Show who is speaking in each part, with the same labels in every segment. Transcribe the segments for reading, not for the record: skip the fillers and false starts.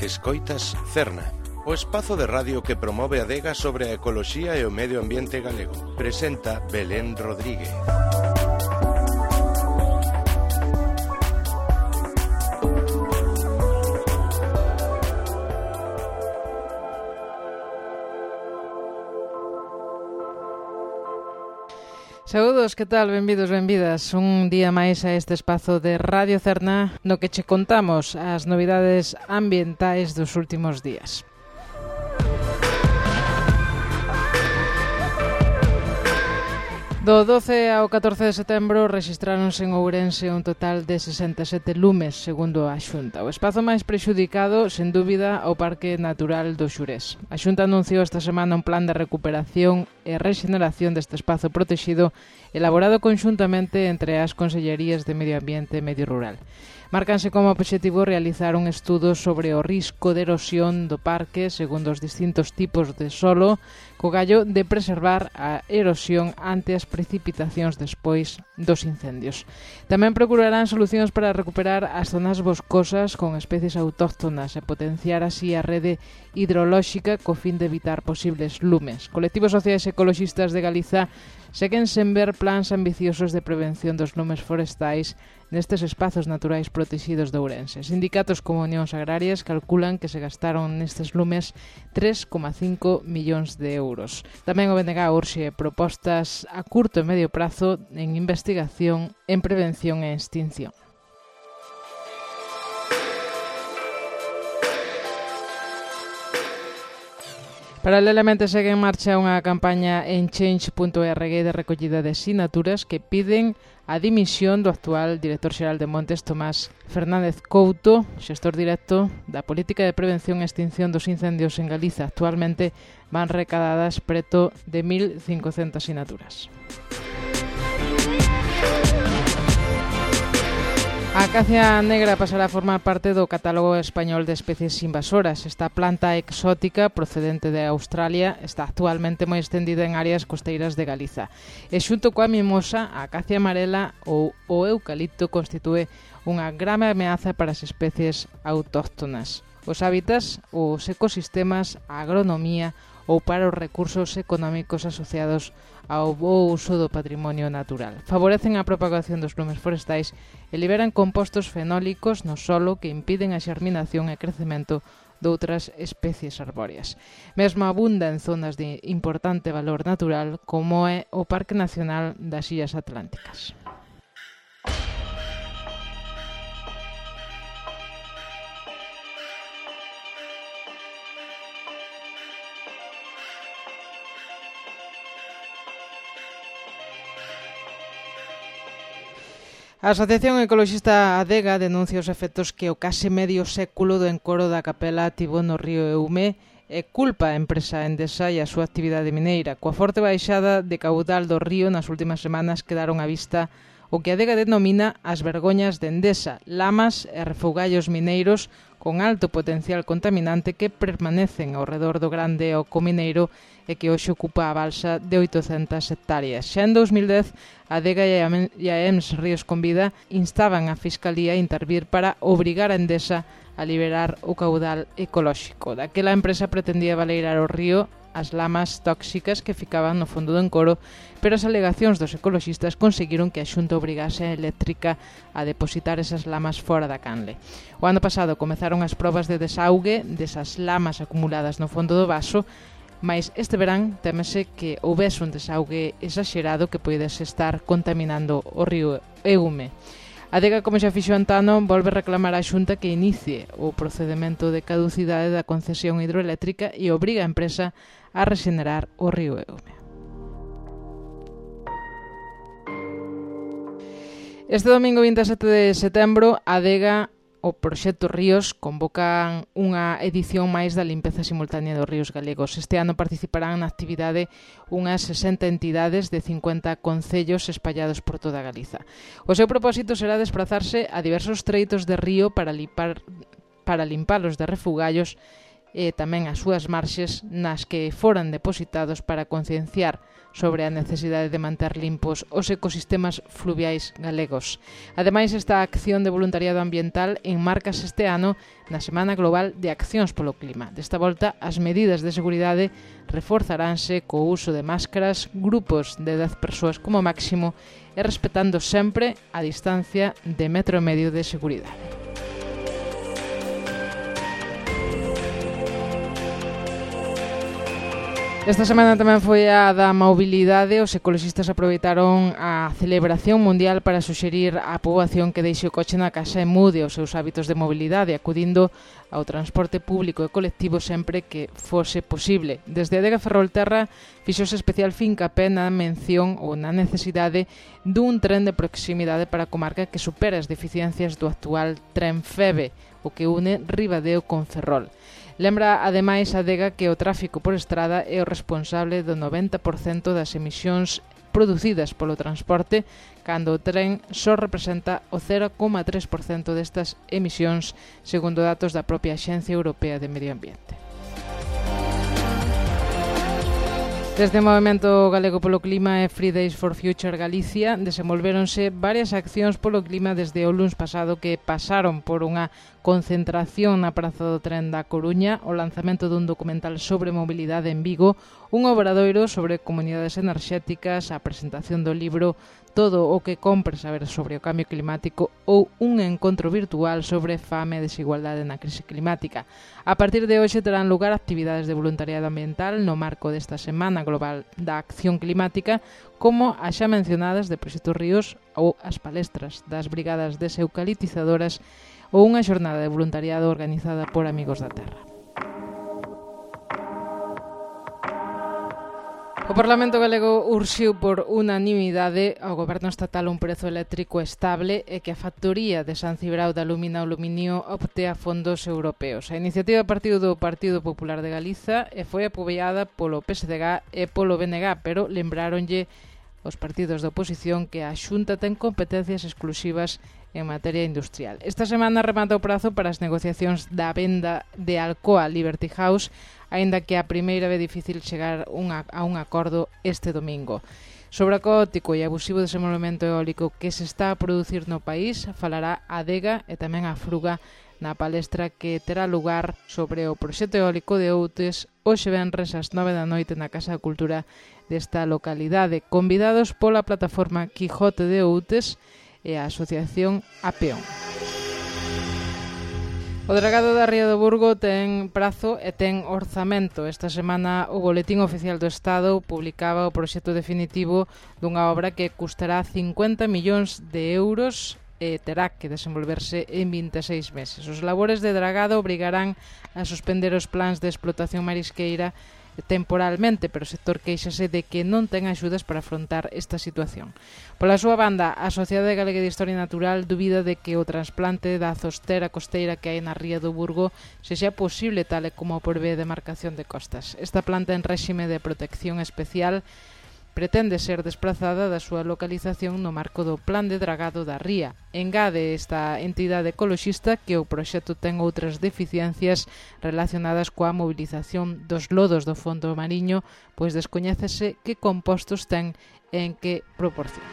Speaker 1: Escoitas Cerna, o espazo de radio que promove a adega sobre a ecoloxía e o medio ambiente galego. Presenta Belén Rodríguez.
Speaker 2: Saúdos, que tal? Benvidos, benvidas. Un día máis a este espazo de Radio Cerna no que che contamos as novidades ambientais dos últimos días. Do 12 ao 14 de setembro rexistráronse en Ourense un total de 67 lumes, segundo a Xunta. O espazo máis prexudicado, sen dúbida, o Parque Natural do Xurés. A Xunta anunciou esta semana un plan de recuperación e rexeneración deste espazo protexido elaborado conxuntamente entre as Consellerías de Medio Ambiente e Medio Rural. Márcanse como obxectivo realizar un estudo sobre o risco de erosión do parque segundo os distintos tipos de solo, co gallo de preservar a erosión ante as precipitacións despois dos incendios. Tamén procurarán solucións para recuperar as zonas boscosas con especies autóctonas e potenciar así a rede hidrolóxica co fin de evitar posibles lumes. Colectivos sociais ecoloxistas de Galiza seguen sen ver plans ambiciosos de prevención dos lumes forestais nestes espazos naturais protegidos de Ourense. Sindicatos como Unións Agrarias calculan que se gastaron nestes lumes 3,5 millóns de euros. Tamén o BNG urxe propostas a curto e medio prazo en investigación, en prevención e extinción. Paralelamente segue en marcha unha campaña en change.org de recollida de sinaturas que piden a dimisión do actual director xeral de Montes, Tomás Fernández Couto, xestor directo da Política de Prevención e Extinción dos Incendios en Galiza. Actualmente van recadadas preto de 1.500 sinaturas. A acacia negra pasará a formar parte do catálogo español de especies invasoras. Esta planta exótica procedente de Australia está actualmente moi extendida en áreas costeiras de Galiza. E xunto coa mimosa, a acacia amarela ou o eucalipto constitúe unha grave ameaza para as especies autóctonas. Os hábitats, os ecosistemas, a agronomía ou para os recursos económicos asociados ao bo uso do patrimonio natural. Favorecen a propagación dos lumes forestais e liberan compostos fenólicos no solo que impiden a xerminación e crecemento de outras especies arbóreas. Mesmo abunda en zonas de importante valor natural como é o Parque Nacional das Illas Atlánticas. A Asociación Ecoloxista Adega denuncia os efectos que o case medio século do encoro da capela tivo no río Eume e culpa a empresa Endesa e a súa actividade mineira. Coa forte baixada de caudal do río nas últimas semanas quedaron á vista o que a Adega denomina as vergoñas de Endesa, lamas e refugallos mineiros con alto potencial contaminante que permanecen ao redor do grande oco mineiro e que hoxe ocupa a balsa de 800 hectáreas. Xa en 2010, a Adega e a EMS Ríos con Vida instaban a Fiscalía a intervir para obrigar a Endesa a liberar o caudal ecolóxico. Daquela a empresa pretendía baleirar o río as lamas tóxicas que ficaban no fondo do encoro, pero as alegacións dos ecoloxistas conseguiron que a Xunta obrigase a Eléctrica a depositar esas lamas fora da canle. O ano pasado comezaron as probas de desaugue desas lamas acumuladas no fondo do vaso, mas este verán temese que houbese un desaugue exagerado que poidese estar contaminando o río Eume. A Adega, como xa fixo antano, volve reclamar á Xunta que inicie o procedemento de caducidade da concesión hidroeléctrica e obriga a empresa a rexenerar o río Eume. Este domingo 27 de setembro, a Adega o Proxecto Ríos convocan unha edición máis da limpeza simultánea dos ríos galegos. Este ano participarán na actividade unhas 60 entidades de 50 concellos espallados por toda Galiza. O seu propósito será desplazarse a diversos treitos de río para limpalos de refugallos e tamén as súas marxes nas que foran depositados para concienciar sobre a necesidade de manter limpos os ecosistemas fluviais galegos. Ademais, esta acción de voluntariado ambiental enmarcase este ano na Semana Global de Accións polo Clima. Desta volta, as medidas de seguridade reforzaránse co uso de máscaras, grupos de 10 persoas como máximo e respetando sempre a distancia de 1,5 metros de seguridade. Esta semana tamén foi a da mobilidade. Os ecoloxistas aproveitaron a celebración mundial para suxerir á poboación que deixe o coche na casa e mude os seus hábitos de mobilidade, acudindo ao transporte público e colectivo sempre que fose posible. Desde a Adega Ferrolterra fixose especial fincapé na mención ou na necesidade dun tren de proximidade para a comarca que supera as deficiencias do actual tren FEBE, o que une Ribadeo con Ferrol. Lembra, ademais, a Adega que o tráfico por estrada é o responsable do 90% das emisións producidas polo transporte, cando o tren só representa o 0,3% destas emisións, segundo datos da propia Axencia Europea de Medio Ambiente. Desde o Movemento Galego polo Clima e Fridays for Future Galicia desenvolvéronse varias accións polo clima desde o luns pasado, que pasaron por unha concentración na Praza do Tren da Coruña, o lanzamento dun documental sobre mobilidade en Vigo, un obradoiro sobre comunidades enerxéticas, a presentación do libro Todo o que compre saber sobre o cambio climático ou un encontro virtual sobre fame e desigualdade na crise climática. A partir de hoxe terán lugar actividades de voluntariado ambiental no marco desta Semana Global da Acción Climática, como as xa mencionadas de Proxecto Ríos ou as palestras das brigadas deseucalitizadoras ou unha xornada de voluntariado organizada por Amigos da Terra. O Parlamento Galego urxiu por unanimidade ao Goberno estatal un prezo eléctrico estable e que a factoría de San Cibrao de Alumina Aluminio optea fondos europeos. A iniciativa partiu do Partido Popular de Galiza e foi apoiada polo PSDG e polo BNG, pero lembráronlle os partidos da oposición que a Xunta ten competencias exclusivas en materia industrial. Esta semana remata o prazo para as negociacións da venda de Alcoa Liberty House, aínda que a primeira ve difícil chegar a un acordo este domingo. Sobre o caótico e abusivo desenvolvemento eólico que se está a producir no país, falará a Adega e tamén a Fruga na palestra que terá lugar sobre o proxecto eólico de Outes hoxe venres ás 9 da noite na Casa da Cultura desta localidade, convidados pola plataforma Quijote de Outes e a Asociación Apeón. O Dragado da Ría do Burgo ten prazo e ten orzamento. Esta semana o Boletín Oficial do Estado publicaba o proxecto definitivo dunha obra que custará 50 millóns de euros e terá que desenvolverse en 26 meses. Os labores de dragado obrigarán a suspender os plans de explotación marisqueira temporalmente, pero o sector queixase de que non ten axudas para afrontar esta situación. Pola súa banda, a Sociedade Galega de Historia Natural dubida de que o trasplante da zostera costeira que hai na Ría do Burgo sexa posible tal e como prevé a demarcación de costas. Esta planta en réxime de protección especial pretende ser desplazada da súa localización no marco do Plan de Dragado da Ría. Engade esta entidade ecoloxista que o proxecto ten outras deficiencias relacionadas coa mobilización dos lodos do fondo mariño, pois descoñécese que compostos ten e en que proporción.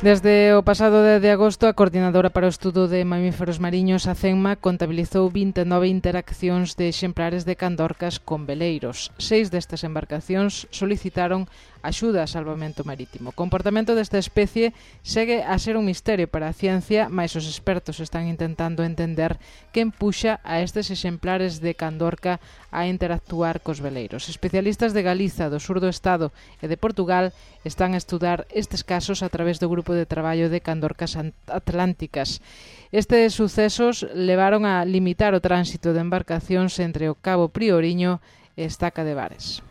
Speaker 2: Desde o pasado 10 de agosto, a Coordinadora para o Estudo de Mamíferos Mariños, a CENMA, contabilizou 29 interaccións de exemplares de candorcas con veleiros. 6 destas embarcacións solicitaron axuda a salvamento marítimo. O comportamento desta especie segue a ser un misterio para a ciencia, mais os expertos están intentando entender que empuxa a estes exemplares de candorca a interactuar cos veleiros. Especialistas de Galiza, do sur do Estado e de Portugal están a estudar estes casos a través do Grupo de Traballo de Candorcas Atlánticas. Estes sucesos levaron a limitar o tránsito de embarcacións entre o Cabo Prioriño e Estaca de Bares.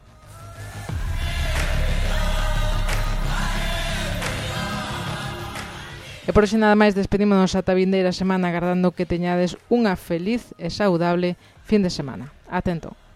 Speaker 2: E por hoxe nada máis, despedímonos ata a vindeira semana agardando que teñades unha feliz e saudable fin de semana. Atento.